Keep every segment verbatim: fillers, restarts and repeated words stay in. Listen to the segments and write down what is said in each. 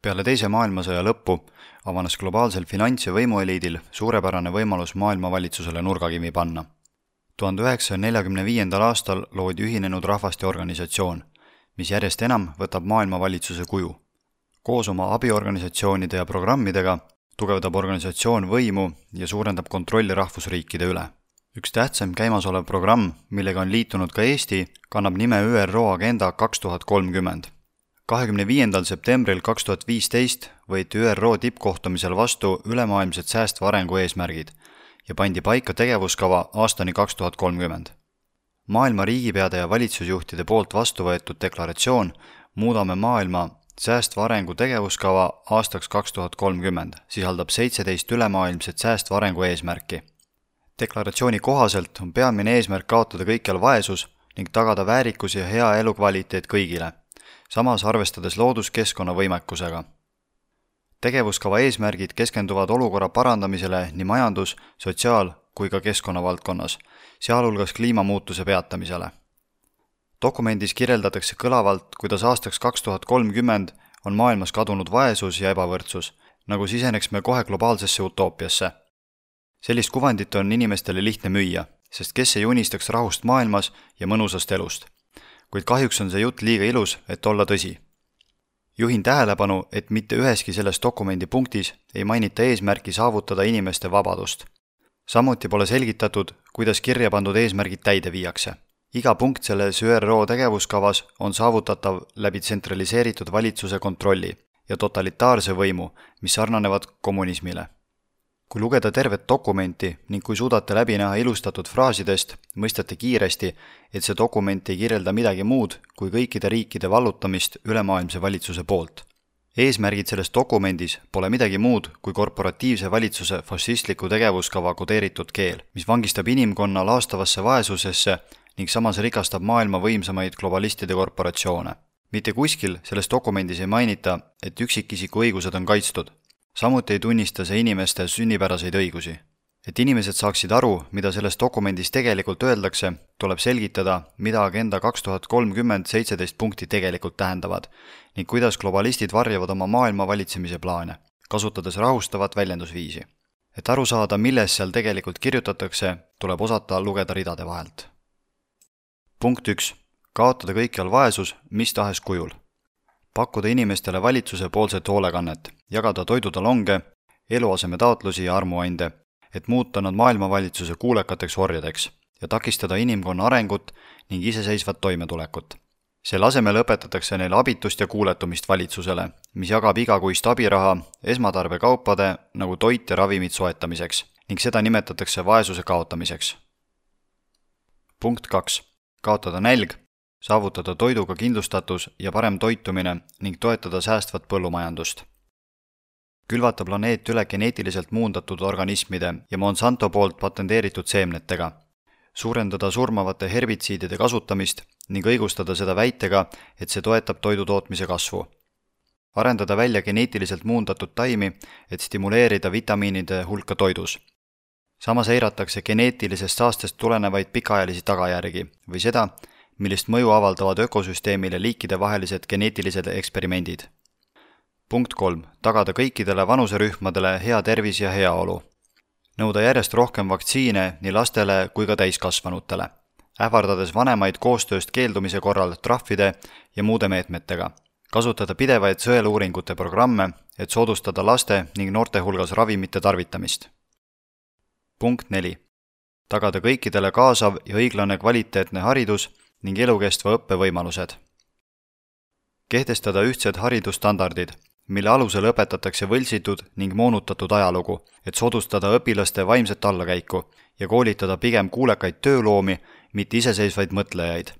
Peale teise maailmasõja lõppu avanes globaalsel finants- ja võimueliidil suurepärane võimalus maailmavalitsusele nurgakivi panna. tuhande üheksasaja neljakümne viiendal aastal loodi Ühinenud Rahvaste Organisatsioon, mis järjest enam võtab maailmavalitsuse kuju. Koos oma abiorganisatsioonide ja programmidega tugevdab organisatsioon võimu ja suurendab kontrolli rahvusriikide üle. Üks tähtsam käimasolev programm, millega on liitunud ka Eesti, kannab nime Ü R O Agenda kaks tuhat kolmkümmend. kahekümne viiendal septembril kaks tuhat viisteist võeti Ü R O tippkohtumisel vastu ülemaailmsed säästva arengu eesmärgid ja pandi paika tegevuskava aastani kaks tuhat kolmkümmend. Maailma riigipeade ja valitsusjuhtide poolt vastu võetud deklaratsioon Muudame maailma säästva arengu tegevuskava aastaks kaks tuhat kolmkümmend sisaldab seitseteist ülemaailmset säästva arengu eesmärki. Deklaratsiooni kohaselt on peamine eesmärk kaotada kõikjal vaesus ning tagada väärikus ja hea elukvaliteet kõigile, samas arvestades looduskeskkonna võimekusega. Tegevuskava eesmärgid keskenduvad olukorra parandamisele nii majandus-, sotsiaal- kui ka keskkonnavaldkonnas, sealhulgas kliimamuutuse peatamisele. Dokumendis kirjeldatakse kõlavalt, kuidas aastaks kaks tuhat kolmkümmend on maailmas kadunud vaesus ja ebavõrdsus, nagu siseneks me kohe globaalsesse utoopiasse. Sellist kuvandit on inimestele lihtne müüa, sest kes ei unistaks rahust maailmas ja mõnusast elust. Kuid kahjuks on see jutt liiga ilus, et olla tõsi. Juhin tähelepanu, et mitte üheski selles dokumendi punktis ei mainita eesmärki saavutada inimeste vabadust. Samuti pole selgitatud, kuidas kirja pandud eesmärgid täide viiakse. Iga punkt selles Ü R O tegevuskavas on saavutatav läbi tsentraliseeritud valitsuse kontrolli ja totalitaarse võimu, mis sarnanevad kommunismile. Kui lugeda tervet dokumenti ning kui suudate läbi näha ilustatud fraasidest, mõistate kiiresti, et see dokument ei kirjelda midagi muud kui kõikide riikide vallutamist ülemaailmse valitsuse poolt. Eesmärgid selles dokumendis pole midagi muud kui korporatiivse valitsuse fašistliku tegevuskava kodeeritud keel, mis vangistab inimkonna laastavasse vaesusesse ning samas rikastab maailma võimsamaid globalistide korporatsioone. Mitte kuskil selles dokumendis ei mainita, et üksikisiku õigused on kaitstud. Samuti ei tunnista see inimeste sünnipäraseid õigusi. Et inimesed saaksid aru, mida selles dokumendis tegelikult öeldakse, tuleb selgitada, mida Agenda kaks tuhat kolmkümmend seitseteist punkti tegelikult tähendavad ning kuidas globalistid varjavad oma maailma valitsemise plaane, kasutades rahustavat väljendusviisi. Et aru saada, milles seal tegelikult kirjutatakse, tuleb osata lugeda ridade vahelt. Punkt üks. Kaotada kõikjal vaesus mis tahes kujul. Pakkuda inimestele valitsuse poolset hoolekannet, jagada toidutalonge, eluaseme taotlusi ja armuande, et muuta nad maailmavalitsuse kuulekateks orjadeks ja takistada inimkonna arengut ning iseseisvat toimetulekut. Selle asemel õpetatakse neile abitust ja kuuletumist valitsusele, mis jagab igakuist abiraha esmatarbekaupade nagu toit ja ravimid soetamiseks ning seda nimetatakse vaesuse kaotamiseks. Punkt kaks. Kaotada nälg, saavutada toiduga kindlustatus ja parem toitumine ning toetada säästvat põllumajandust. Külvata planeet üle geneetiliselt muundatud organismide ja Monsanto poolt patenteeritud seemnetega. Suurendada surmavate herbitsiidide kasutamist ning õigustada seda väitega, et see toetab toidutootmise kasvu. Arendada välja geneetiliselt muundatud taimi, et stimuleerida vitamiinide hulka toidus. Samas eiratakse geneetilisest saastest tulenevaid pikaajalisi tagajärgi või seda, millist mõju avaldavad ökosüsteemile liikide vahelised geneetilised eksperimendid. Punkt kolm. Tagada kõikidele vanuserühmadele hea tervis ja heaolu. Nõuda järjest rohkem vaktsiine nii lastele kui ka täiskasvanutele, ähvardades vanemaid koostööst keeldumise korral trahvide ja muude meetmetega. Kasutada pidevaid sõeluuringute programme, et soodustada laste ning noorte hulgas ravimite tarvitamist. Punkt neli. Tagada kõikidele kaasav ja õiglane kvaliteetne haridus ning elukestva õppevõimalused. Kehtestada ühtsed haridusstandardid, mille alusel õpetatakse võltsitud ning moonutatud ajalugu, et soodustada õpilaste vaimset allakäiku ja koolitada pigem kuulekaid tööloomi, mitte iseseisvaid mõtlejaid.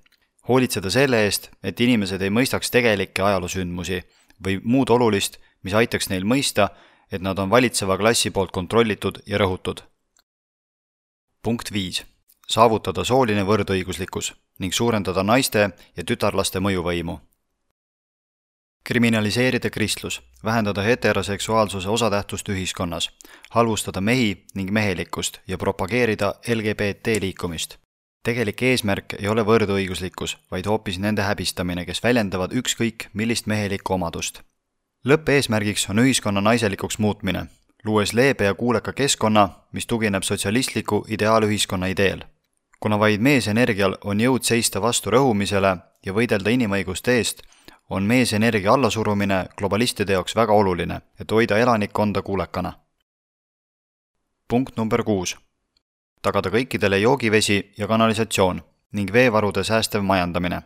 Hoolitseda selle eest, et inimesed ei mõistaks tegelikke ajaloosündmusi või muud olulist, mis aitaks neil mõista, et nad on valitseva klassi poolt kontrollitud ja rõhutud. Punkt viis. Saavutada sooline võrdõiguslikkus ning suurendada naiste ja tütarlaste mõjuvõimu. Kriminaliseerida kristlus, vähendada heteroseksuaalsuse osatähtsust ühiskonnas, halvustada mehi ning mehelikkust ja propageerida L G B T liikumist. Tegelik eesmärk ei ole võrdõiguslikkus, vaid hoopis nende häbistamine, kes väljendavad ükskõik millist mehelikku omadust. Lõppeesmärgiks on ühiskonna naiselikuks muutmine, luues leebe ja kuuleka keskkonna, mis tugineb sotsialistliku ideaalühiskonna ideel. Kuna vaid meesenergial on jõud seista vastu rõhumisele ja võidelda inimõiguste eest, on meesenergia allasurumine globalistide jaoks väga oluline, et hoida elanikkonda kuulekana. Punkt number kuus. Tagada kõikidele joogivesi ja kanalisatsioon ning veevarude säästev majandamine.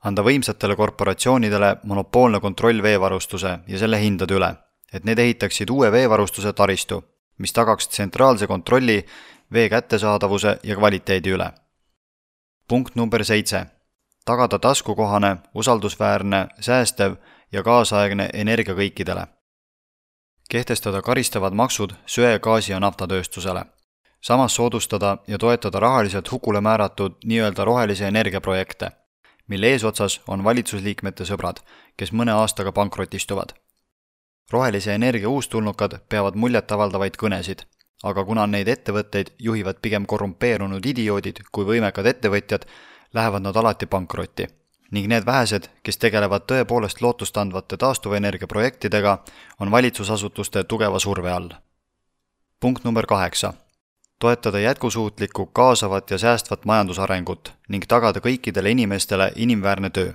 Anda võimsatele korporatsioonidele monopoolne kontroll veevarustuse ja selle hindade üle, et need ehitaksid uue veevarustuse taristu, mis tagaks tsentraalse kontrolli vee kättesaadavuse ja kvaliteedi üle. Punkt number seitse. Tagada taskukohane, usaldusväärne, säästev ja kaasaegne energia kõikidele. Kehtestada karistavad maksud söe, gaasi ja naftatööstusele. Samas soodustada ja toetada rahaliselt hukule määratud nii-öelda rohelise energiaprojekte, mille eesotsas on valitsusliikmete sõbrad, kes mõne aastaga pankrotistuvad. Rohelise energia uustulnukad peavad muljetavaldavaid kõnesid, aga kuna neid ettevõtteid juhivad pigem korrumpeerunud idioodid kui võimekad ettevõtjad, lähevad nad alati pankrotti. Ning need vähesed, kes tegelevad tõepoolest lootustandvate taastuvenergiaprojektidega, on valitsusasutuste tugeva surve all. Punkt number kaheksa. Toetada jätkusuutlikku, kaasavat ja säästvat majandusarengut ning tagada kõikidele inimestele inimväärne töö.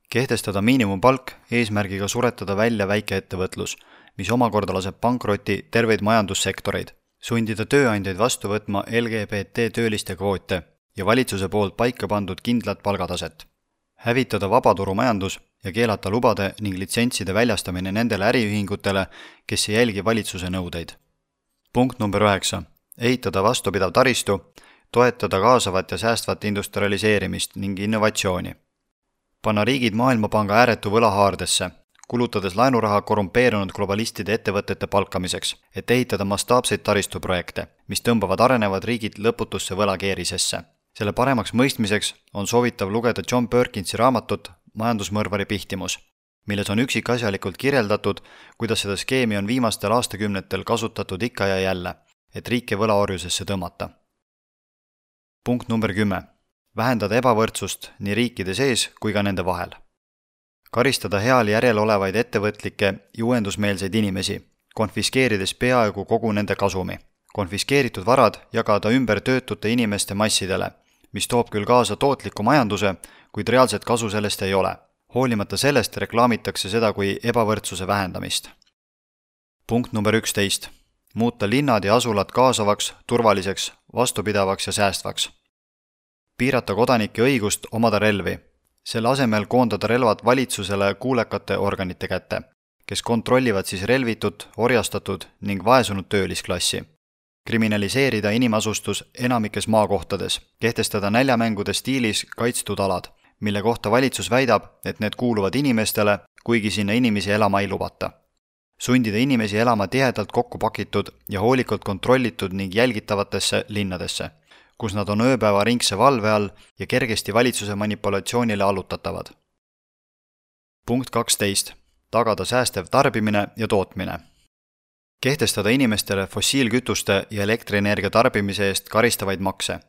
Kehtestada miinimumpalk eesmärgiga suretada välja väikeettevõtlus, mis omakorda laseb pankrotti terveid majandussektoreid, sundida tööandjaid vastu võtma L G B T tööliste kvoote ja valitsuse poolt paika pandud kindlat palgataset. Hävitada vabaturumajandus ja keelata lubade ning litsentside väljastamine nendele äriühingutele, kes ei jälgi valitsuse nõudeid. Punkt number üheksa. Ehitada vastupidav taristu, toetada kaasavat ja säästvat industrialiseerimist ning innovatsiooni. Panna riigid Maailmapanga ääretu võlahaardesse, kulutades laenuraha korrumpeerunud globalistide ettevõtete palkamiseks, et ehitada mastaapseid taristuprojekte, mis tõmbavad arenevad riigid lõputusse võlakeerisesse. Selle paremaks mõistmiseks on soovitav lugeda John Perkinsi raamatut Majandusmõrvari pihtimus, milles on üksikasjalikult kirjeldatud, kuidas seda skeemi on viimastel aastakümnetel kasutatud ikka ja jälle, et riike võlaorjusesse tõmmata. Punkt number kümme. Vähendada ebavõrdsust nii riikide sees kui ka nende vahel. Karistada heal järel olevaid ettevõtlikke ja uuendusmeelseid inimesi, konfiskeerides peaaegu kogu nende kasumi. Konfiskeeritud varad jagada ümber töötute inimeste massidele, mis toob küll kaasa tootliku majanduse, kuid reaalset kasu sellest ei ole. Hoolimata sellest reklaamitakse seda kui ebavõrdsuse vähendamist. Punkt number üksteist. Muuta linnad ja asulad kaasavaks, turvaliseks, vastupidavaks ja säästvaks. Piirata kodanike õigust omada relvi. Selle asemel koondada relvad valitsusele kuulekate organite kätte, kes kontrollivad siis relvitut, orjastatud ning vaesunud töölisklassi. Kriminaliseerida inimasustus enamikes maakohtades, kehtestada näljamängude stiilis kaitstud alad, mille kohta valitsus väidab, et need kuuluvad inimestele, kuigi sinna inimesi elama ei lubata. Sundida inimesi elama tihedalt kokku pakitud ja hoolikalt kontrollitud ning jälgitavatesse linnadesse, kus nad on ööpäeva ringse valve all ja kergesti valitsuse manipulatsioonile allutatavad. Punkt kaksteist. Tagada säästev tarbimine ja tootmine. Kehtestada inimestele fossiilkütuste ja elektrienergia tarbimise eest karistavaid makse,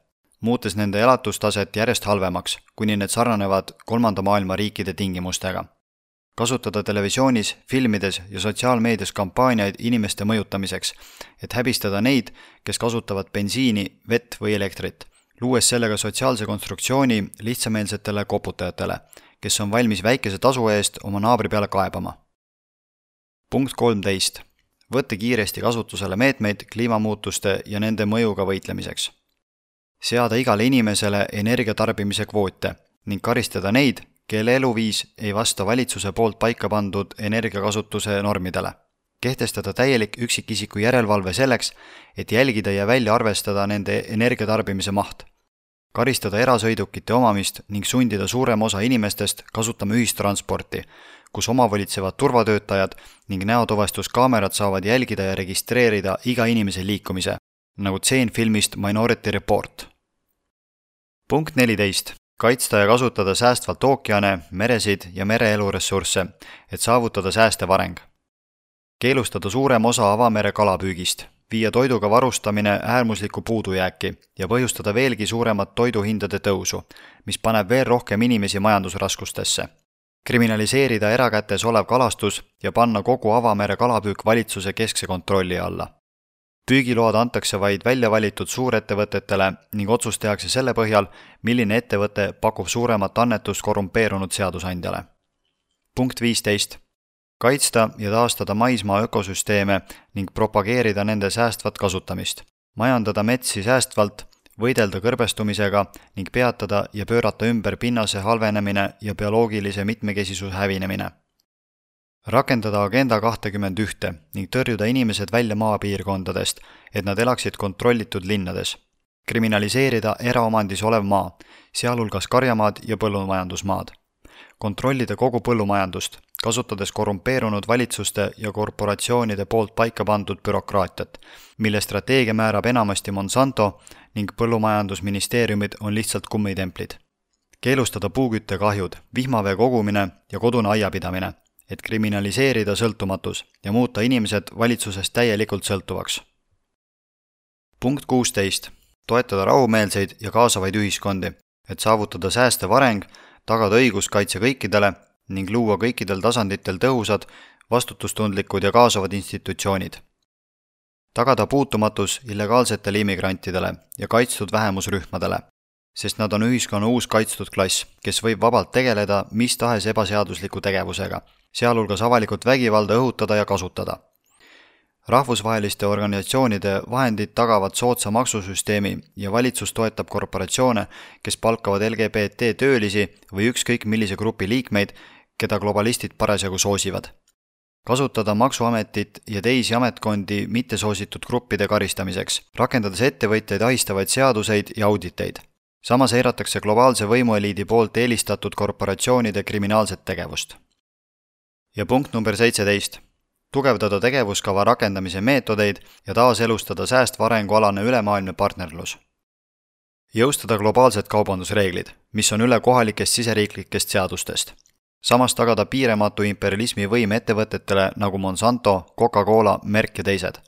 muutes nende elatustaset järjest halvemaks, kuni need sarnanevad kolmanda maailma riikide tingimustega. Kasutada televisioonis, filmides ja sotsiaalmeedias kampaaniaid inimeste mõjutamiseks, et häbistada neid, kes kasutavad bensiini, vett või elektrit, luues sellega sotsiaalse konstruktsiooni lihtsameelsetele koputajatele, kes on valmis väikese tasu eest oma naabri peale kaebama. Punkt kolmteist. Võtta kiiresti kasutusele meetmeid kliimamuutuste ja nende mõjuga võitlemiseks. Seada igale inimesele energiatarbimise kvoote ning karistada neid, kelle eluviis ei vasta valitsuse poolt paika pandud energiakasutuse normidele. Kehtestada täielik üksikisiku järelevalve selleks, et jälgida ja välja arvestada nende energiatarbimise maht. Karistada erasõidukite omamist ning sundida suurem osa inimestest kasutama ühistransporti, kus omavolitsevad turvatöötajad ning näotuvastuskaamerad saavad jälgida ja registreerida iga inimese liikumise, nagu tseen filmist Minority Report. Punkt neliteist. Kaitsta ja kasutada säästvalt ookeane, meresid ja mereeluressursse, et saavutada säästev areng. Keelustada suurem osa avamere kalapüügist, viia toiduga varustamine äärmuslikku puudujääki ja põhjustada veelgi suuremat toiduhindade tõusu, mis paneb veel rohkem inimesi majandusraskustesse. kriminaliseerida erakätes olev kalastus ja panna kogu avamere kalapüük valitsuse keskse kontrolli alla. Püügiload antakse vaid välja valitud suurettevõtetele ning otsus tehakse selle põhjal, milline ettevõte pakub suuremat annetust korrumpeerunud seadusandjale. Punkt viisteist. Kaitsta ja taastada maismaa ökosüsteeme ning propageerida nende säästvat kasutamist. Majandada metsi säästvalt, võidelda kõrbestumisega ning peatada ja pöörata ümber pinnase halvenemine ja bioloogilise mitmekesisuse hävinemine. Rakendada agenda kakskümmend üks ning tõrjuda inimesed välja maapiirkondadest, et nad elaksid kontrollitud linnades. Kriminaliseerida eraomandis olev maa, sealhulgas karjamaad ja põllumajandusmaad. Kontrollida kogu põllumajandust, kasutades korrumpeerunud valitsuste ja korporatsioonide poolt paika pandud bürokraatiat, mille strateegia määrab enamasti Monsanto ning põllumajandusministeeriumid on lihtsalt kummitemplid. Keelustada puuküttekahjud, vihmavee kogumine ja kodune aiapidamine, et kriminaliseerida sõltumatus ja muuta inimesed valitsusest täielikult sõltuvaks. Punkt kuusteist. Toetada rahumeelseid ja kaasavaid ühiskondi, et saavutada säästev areng, tagada õiguskaitse kõikidele ning luua kõikidel tasanditel tõhusad, vastutustundlikud ja kaasavad institutsioonid. Tagada puutumatus illegaalsetele immigrantidele ja kaitstud vähemusrühmadele, sest nad on ühiskonna uus kaitstud klass, kes võib vabalt tegeleda mis tahes ebaseadusliku tegevusega, sealhulgas avalikult vägivalda õhutada ja kasutada. Rahvusvaheliste organisatsioonide vahendid tagavad soodsa maksusüsteemi ja valitsus toetab korporatsioone, kes palkavad L G B T töölisi või ükskõik millise grupi liikmeid, keda globalistid parasjagu soosivad. Kasutada maksuametit ja teisi ametkondi mittesoositud gruppide karistamiseks, rakendades ettevõtjaid ahistavaid seaduseid ja auditeid. Samas eiratakse globaalse võimueliidi poolt eelistatud korporatsioonide kriminaalset tegevust. Ja punkt number seitseteist. Tugevdada tegevuskava rakendamise meetodeid ja taaselustada säästva arengualane ülemaailmne partnerlus. Jõustada globaalsed kaubandusreeglid, mis on üle kohalikest siseriiklikest seadustest. Samas tagada piirematu imperialismi võim ettevõtetele nagu Monsanto, Coca-Cola, Merck ja teised.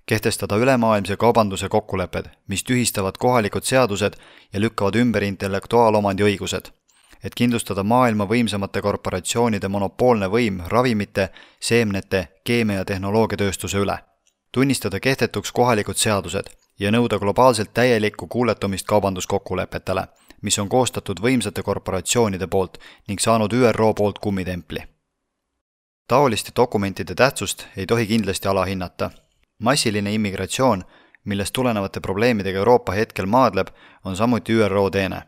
Kehtestada ülemaailmse kaubanduse kokkulepped, mis tühistavad kohalikud seadused ja lükkavad ümber intellektuaalomandi õigused, et kindlustada maailma võimsamate korporatsioonide monopoolne võim ravimite, seemnete, keemia ja tehnoloogiatööstuse üle. Tunnistada kehtetuks kohalikud seadused ja nõuda globaalselt täielikku kuuletumist kaubanduskokkulepetele, mis on koostatud võimsate korporatsioonide poolt ning saanud Ü R O poolt kummitempli. Taoliste dokumentide tähtsust ei tohi kindlasti alahinnata. Massiline immigratsioon, millest tulenevate probleemidega Euroopa hetkel maadleb, on samuti Ü R O teene.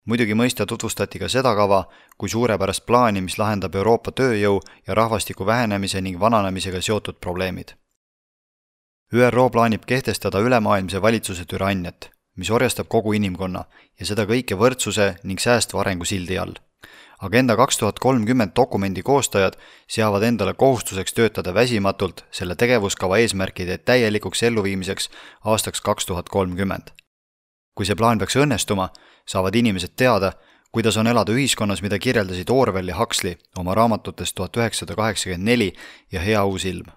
Muidugi mõista tutvustati ka seda kava kui suurepärast plaani, mis lahendab Euroopa tööjõu ja rahvastiku vähenemise ning vananemisega seotud probleemid. Ü R O plaanib kehtestada ülemaailmse valitsuse türanniat, mis orjastab kogu inimkonna ja seda kõike võrdsuse ning säästva arengu sildi all. Agenda kaks tuhat kolmkümmend dokumendi koostajad seavad endale kohustuseks töötada väsimatult selle tegevuskava eesmärkide täielikuks elluviimiseks aastaks kaks tuhat kolmkümmend. Kui see plaan peaks õnnestuma, saavad inimesed teada, kuidas on elada ühiskonnas, mida kirjeldasid Orwell ja Huxley oma raamatutes tuhat üheksasada kaheksakümmend neli ja Hea uus ilm.